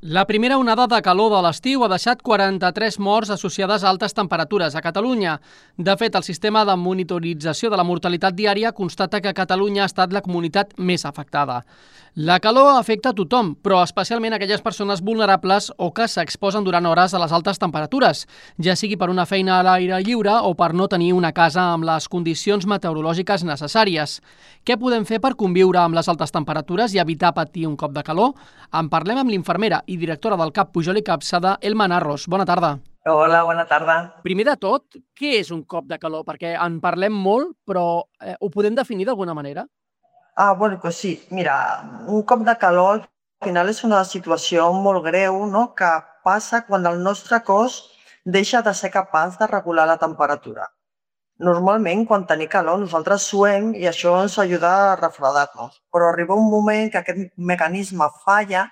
La primera onada de calor de l'estiu ha deixat 43 morts associades a altes temperatures a Catalunya. De fet, el sistema de monitorització de la mortalitat diària constata que Catalunya ha estat la comunitat més afectada. La calor afecta a tothom, però especialment aquelles persones vulnerables o que s'exposen durant hores a les altes temperatures, ja sigui per una feina a l'aire lliure o per no tenir una casa amb les condicions meteorològiques necessàries. Què podem fer per conviure amb les altes temperatures i evitar patir un cop de calor? En parlem amb l'infermera i directora del CAP Pujol i Capçada, Elma Narros. Bona tarda. Hola, bona tarda. Primer de tot, què és un cop de calor? Perquè en parlem molt, però ho podem definir d'alguna manera? Bueno, pues sí, mira, un cop de calor al final és una situació molt greu, no?, que passa quan el nostre cos deixa de ser capaç de regular la temperatura. Normalment, quan tenim calor, nosaltres suem i això ens ajuda a refredar-nos, però arriba un moment que aquest mecanisme falla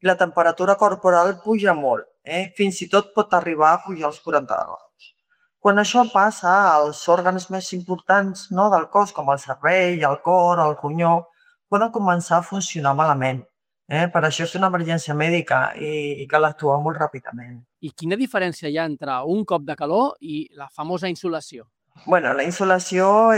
i la temperatura corporal puja molt, fins i tot pot arribar a pujar als 40 graus. Quan això passa, els òrgans més importants, no, del cos, com el cervell, el cor, el ronyó, poden començar a funcionar malament. Per això és una emergència mèdica i cal actuar molt ràpidament. I quina diferència hi ha entre un cop de calor i la famosa insolació? Bueno, la insolació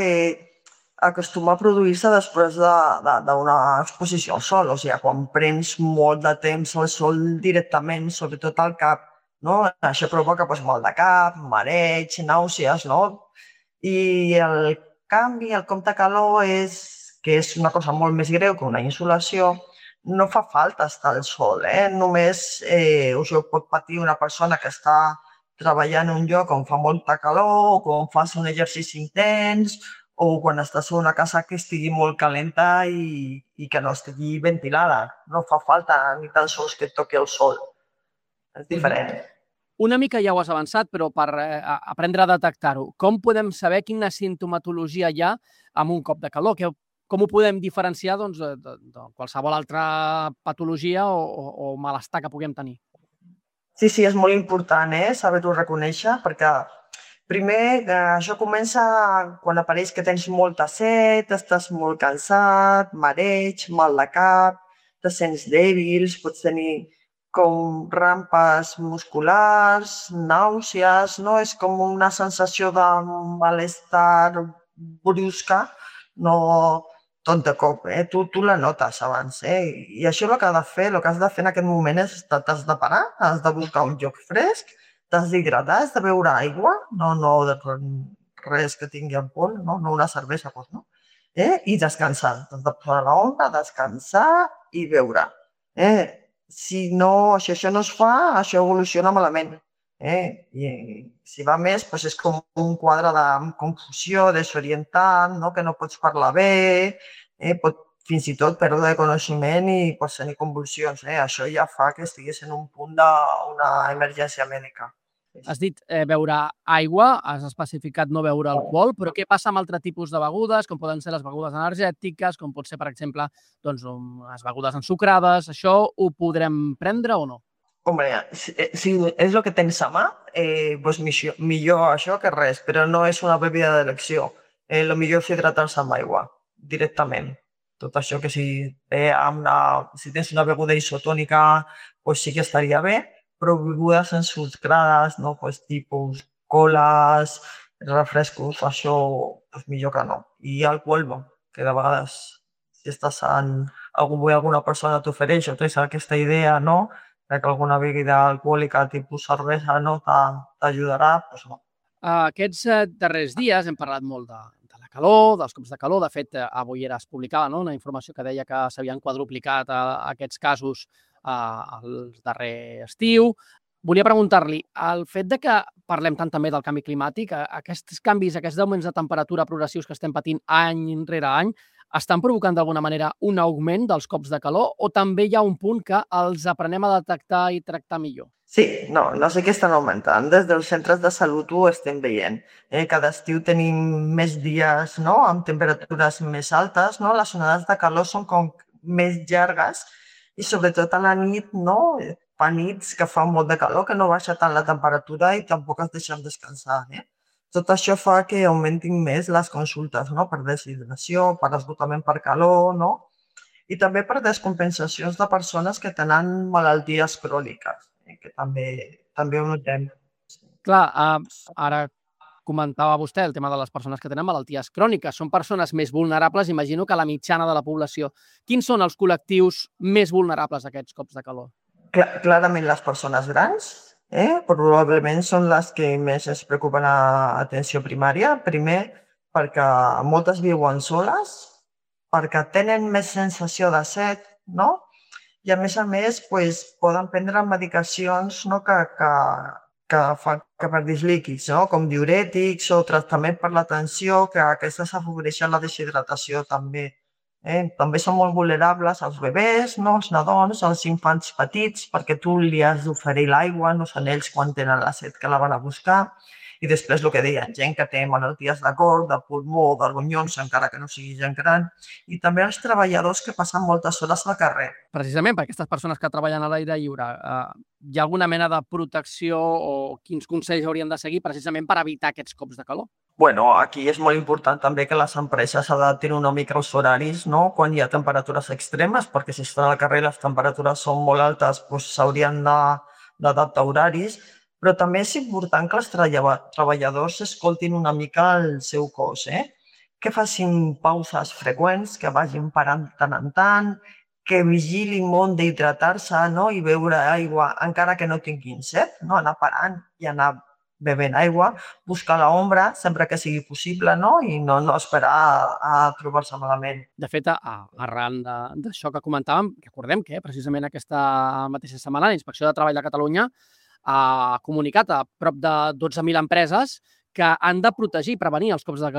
acostuma a produir-se després d'una exposició al sol, o sigui, quan prens molt de temps al sol directament, sobretot al cap, no? Això provoca mal de cap, mareig, nàusees, no? I el canvi, el cop de calor, que és una cosa molt més greu que una insolació, no fa falta estar al sol, només això pot patir una persona que està treballar en un lloc on fa molta calor, o quan fas un exercici intens, o quan estàs en una casa que estigui molt calenta i que no estigui ventilada. No fa falta ni tan sols que et toqui el sol. És diferent. Una mica ja ho has avançat, però per aprendre a detectar-ho, com podem saber quina simptomatologia hi ha amb un cop de calor? Com ho podem diferenciar de qualsevol altra patologia o malestar que puguem tenir? Sí, és molt important saber-ho reconèixer, perquè primer això comença quan apareix que tens molta set, estàs molt cansat, mareig, mal de cap, te sents dèbils, pots tenir com rampes musculars, nàusees, no? És com una sensació de malestar brusca, no tot de cop, tu la notes abans, i això el que has de fer en aquest moment és t'has de parar, has de buscar un lloc fresc, t'has d'hidratar, has de beure aigua, no res que tingui alcohol, no una cervesa, doncs no, i descansar, t'has de posar a l'ombra, descansar i beure. Si no, si això no es fa, això evoluciona malament. I si va més, doncs és com un quadre de confusió, desorientant, no? Que no pots parlar bé, pot fins i tot perdre de coneixement i pots tenir convulsions. Això ja fa que estiguis en un punt d'una emergència mèdica. Has dit beure aigua, has especificat no beure alcohol, però què passa amb altre tipus de begudes, com poden ser les begudes energètiques, com pot ser, per exemple, les begudes ensucrades? Això ho podrem prendre o no? Hombre, si és el que tens a mà, doncs millor això que res, però no és una bebida d'elecció. El millor és hidratar-se amb aigua, directament. Tot això que si tens una beguda isotònica, doncs sí que estaria bé, però begudes ensucrades, no? Pues tipus coles, refrescos, això doncs millor que no. I alcohol, que de vegades si estàs en alguna persona t'ofereix o tens aquesta idea, no?, que alguna bebida alcohòlica tipus cervesa no t'ajudarà, doncs no. Aquests darrers dies hem parlat molt de la calor, dels cops de calor. De fet, avui es publicava una informació que deia que s'havien quadruplicat aquests casos el darrer estiu. Volia preguntar-li, el fet de que parlem tant també del canvi climàtic, aquests canvis, aquests augments de temperatura progressius que estem patint any rere any, estan provocant d'alguna manera un augment dels cops de calor o també hi ha un punt que els aprenem a detectar i tractar millor? Sí, no sé què estan augmentant. Des dels centres de salut ho estem veient. Cada estiu tenim més dies, no?, amb temperatures més altes, no? Les onades de calor són com més llargues i sobretot a la nit, no? Fa nits que fa molt de calor, que no baixa tant la temperatura i tampoc es deixen descansar. Tot això fa que augmentin més les consultes, no?, per deshidratació, per esgotament per calor, no? I també per descompensacions de persones que tenen malalties cròniques, que també ho notem. Clar, ara comentava vostè el tema de les persones que tenen malalties cròniques. Són persones més vulnerables, imagino, que la mitjana de la població. Quins són els col·lectius més vulnerables a aquests cops de calor? Clarament les persones grans, probablement són les que més es preocupen a atenció primària. Primer, perquè moltes viuen soles, perquè tenen més sensació de set, no? I a més, pues, poden prendre medicacions, no, que fan que perdis líquids, no? Com diürètics o tractament per la tensió, que aquestes afavoreixen la deshidratació també. També són molt vulnerables els bebès, no? Els nadons, els infants petits, perquè tu li has d'oferir l'aigua, no són ells quan tenen la set que la van a buscar. I després el que deia, gent que té malalties de cor, de pulmó, de ronyons, encara que no sigui gent gran, i també els treballadors que passen moltes hores al carrer. Precisament per aquestes persones que treballen a l'aire lliure, hi ha alguna mena de protecció o quins consells haurien de seguir precisament per evitar aquests cops de calor? Bueno, aquí és molt important també que les empreses adaptin una mica els horaris, no? Quan hi ha temperatures extremes, perquè si estan al carrer i les temperatures són molt altes, doncs s'haurien d'adaptar horaris, però també és important que els treballadors escoltin una mica el seu cos, que facin pauses freqüents, que vagin parant tant en tant, que vigilin molt d'hidratar-se, no? I beure aigua encara que no tinguin set, no? Anar parant i anar bevent aigua, buscar l'ombra sempre que sigui possible, no? I no esperar a trobar-se malament. De fet, arran d'això que comentàvem, recordem que precisament aquesta mateixa setmana la Inspecció de Treball de Catalunya ha comunicat a prop de 12.000 empreses que han de protegir i prevenir els cops de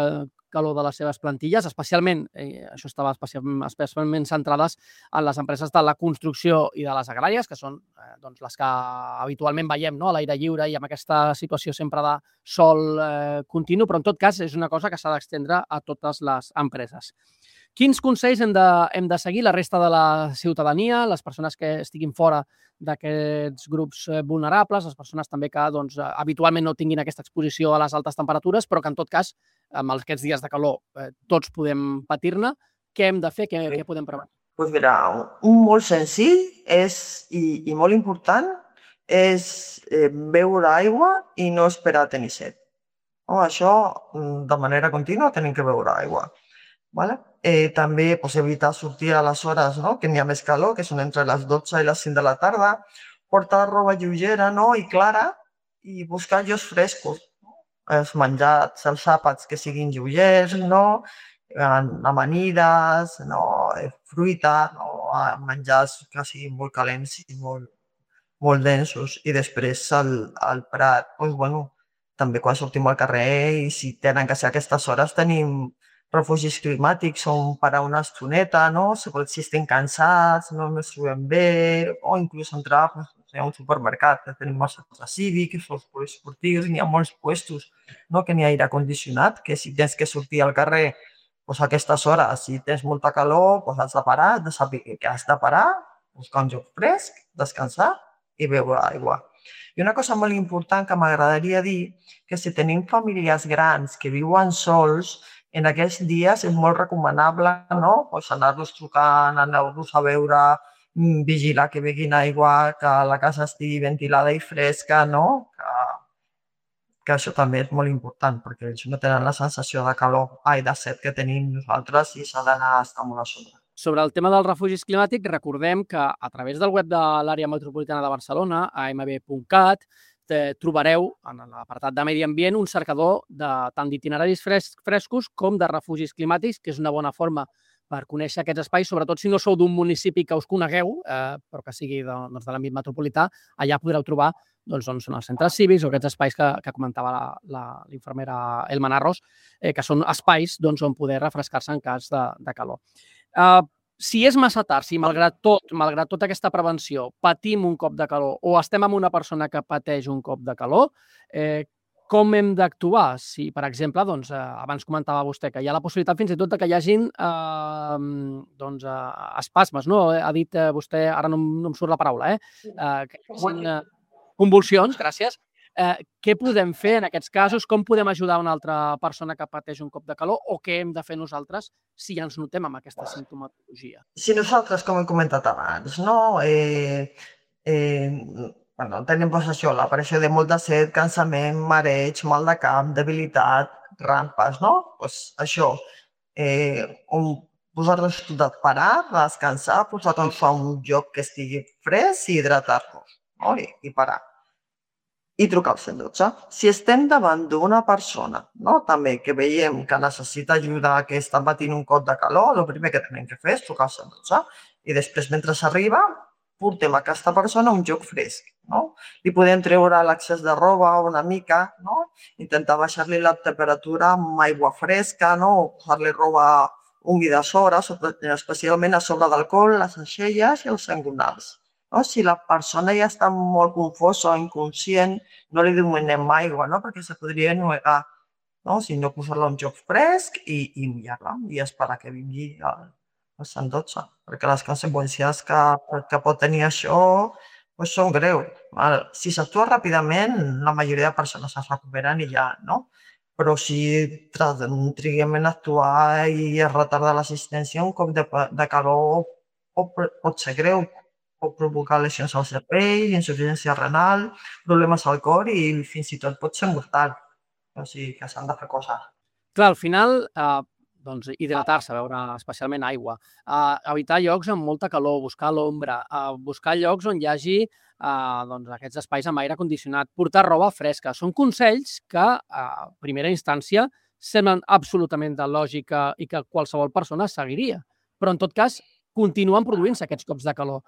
calor de les seves plantilles, especialment, això estava especialment centrades en les empreses de la construcció i de les agràries, que són doncs, les que habitualment veiem, no? A l'aire lliure i amb aquesta situació sempre de sol continu, però en tot cas és una cosa que s'ha d'estendre a totes les empreses. Quins consells hem de seguir la resta de la ciutadania, les persones que estiguin fora d'aquests grups vulnerables, les persones també que doncs, habitualment no tinguin aquesta exposició a les altes temperatures, però que en tot cas, amb aquests dies de calor, tots podem patir-ne. Què hem de fer? Què podem prevenir? Doncs mira, un molt senzill i molt important és beure aigua i no esperar a tenir set. Això, de manera contínua, tenim que beure aigua. Vale? També evitar sortir a les hores, no? Que n'hi ha més calor, que són entre les 12 i les 5 de la tarda, portar roba lleugera, no? I clara, i buscar llocs frescos, no? Els menjars, els àpats que siguin lleugers, no? Amanides, no? Fruita, no? Menjars que siguin molt calents i molt densos. I després al prat, doncs, bueno, també quan sortim al carrer i si tenen que ser aquestes hores tenim refugis climàtics on parar una estoneta, no? Si estem cansats, no ens trobem bé, o inclús entrar a un supermercat, que tenim els centres cívics, els poliesportius, n'hi ha molts puestos, no? Que n'hi ha aire condicionat, que si tens que sortir al carrer doncs a aquestes hores, si tens molta calor, doncs has de parar, has de saber que has de parar, buscar un lloc fresc, descansar i beure aigua. I una cosa molt important que m'agradaria dir, que si tenim famílies grans que viuen sols, en aquests dies és molt recomanable, no? Pues anar-los trucant, anar-los a veure, vigilar que beguin aigua, que la casa estigui ventilada i fresca, no? Que això també és molt important, perquè ells no tenen la sensació de calor, de set que tenim nosaltres i s'ha d'anar a estar molt a sobre. Sobre el tema dels refugis climàtics, recordem que a través del web de l'àrea metropolitana de Barcelona, amb.cat, trobareu en l'apartat de medi ambient un cercador tant d'itineraris frescos com de refugis climàtics, que és una bona forma per conèixer aquests espais, sobretot si no sou d'un municipi que us conegueu, però que sigui de l'àmbit metropolità, allà podreu trobar on són els centres cívics o aquests espais que comentava l'infermera Elma Narros, que són espais on poder refrescar-se en cas de calor. Si és massa tard, si malgrat tota aquesta prevenció patim un cop de calor o estem amb una persona que pateix un cop de calor, com hem d'actuar? Si, per exemple, abans comentava vostè que hi ha la possibilitat fins i tot que hi hagin espasmes, no? Ha dit vostè, ara no em surt la paraula, que hi hagin convulsions, gràcies, Què podem fer en aquests casos? Com podem ajudar una altra persona que pateix un cop de calor o què hem de fer nosaltres si ja ens notem amb aquesta simptomatologia? Si nosaltres, com he comentat abans, no? Bueno, tenim doncs això, l'aparició de molta set, cansament, mareig, mal de cap, debilitat, rampes, no? Doncs això, posar-nos tot a parar, descansar, posar-nos a un lloc que estigui fresc i hidratar-nos, no? I parar. I trucar al 112. Si estem davant d'una persona, no? També que veiem que necessita ajuda, que està patint un cop de calor, el primer que hem de fer és trucar al 112 i després, mentre s'arriba, portem a aquesta persona a un lloc fresc. No? Li podem treure l'excés de roba una mica, no? Intentar baixar-li la temperatura amb aigua fresca, no? O posar-li roba humida a sobre, especialment a sobre del coll, les aixelles i els sangonals. No? Si la persona ja està molt confosa o inconscient, no li donem aigua, no? Perquè se podria ennuegar, no? Sinó posar-la a un lloc fresc i mullar-la i esperar que vingui el 112, perquè les conseqüències que pot tenir això doncs són greus. Si s'actua ràpidament, la majoria de persones es recuperen i ja, no? Però si triguem en actuar i es retarda l'assistència, un cop de calor pot ser greu, pot provocar lesions al cervell, insuficiència renal, problemes al cor i fins i tot pot ser mortal. O sigui que s'han de fer coses. Clar, al final, doncs, hidratar-se, beure especialment aigua, evitar llocs amb molta calor, buscar l'ombra, buscar llocs on hi hagi doncs, aquests espais amb aire condicionat, portar roba fresca. Són consells que, a primera instància, semblen absolutament de lògica i que qualsevol persona seguiria. Però, en tot cas, continuen produint-se aquests cops de calor.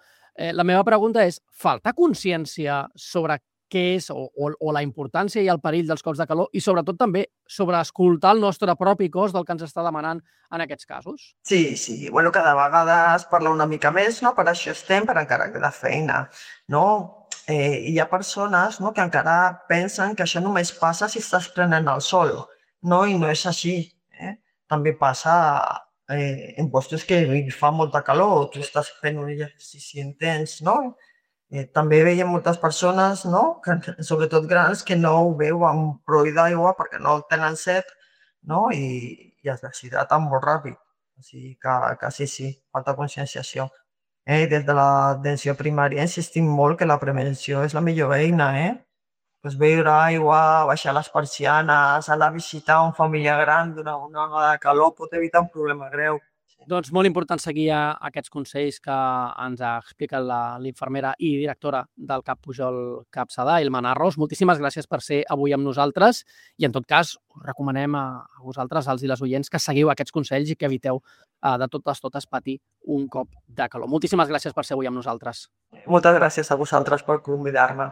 La meva pregunta és, falta consciència sobre què és o la importància i el perill dels cops de calor i sobretot també sobre escoltar el nostre propi cos del que ens està demanant en aquests casos? Sí. Bueno, cada vegada es parla una mica més, no? Per això estem, per encara queda feina, no? Hi ha persones, no, que encara pensen que això només passa si estàs prenent el sol, no? I no és així. També passa en llocs que fa molta calor, tu estàs fent un exercici intens, no? També veiem moltes persones, no? Sobretot grans, que no ho beuen prou d'aigua perquè no tenen set, no? I es deshidraten molt ràpid. O sigui que sí, falta conscienciació. Des de l'atenció primària insistim molt que la prevenció és la millor eina, Pues beure aigua, baixar les persianes, anar a visitar un familiar gran durant una onada de calor pot evitar un problema greu. Doncs molt important seguir aquests consells que ens ha explicat l'infermera i directora del CAP Pujol Capçada, Ilma Narros. Moltíssimes gràcies per ser avui amb nosaltres i, en tot cas, us recomanem a vosaltres, als i les oients, que seguiu aquests consells i que eviteu de totes patir un cop de calor. Moltíssimes gràcies per ser avui amb nosaltres. Moltes gràcies a vosaltres per convidar-me.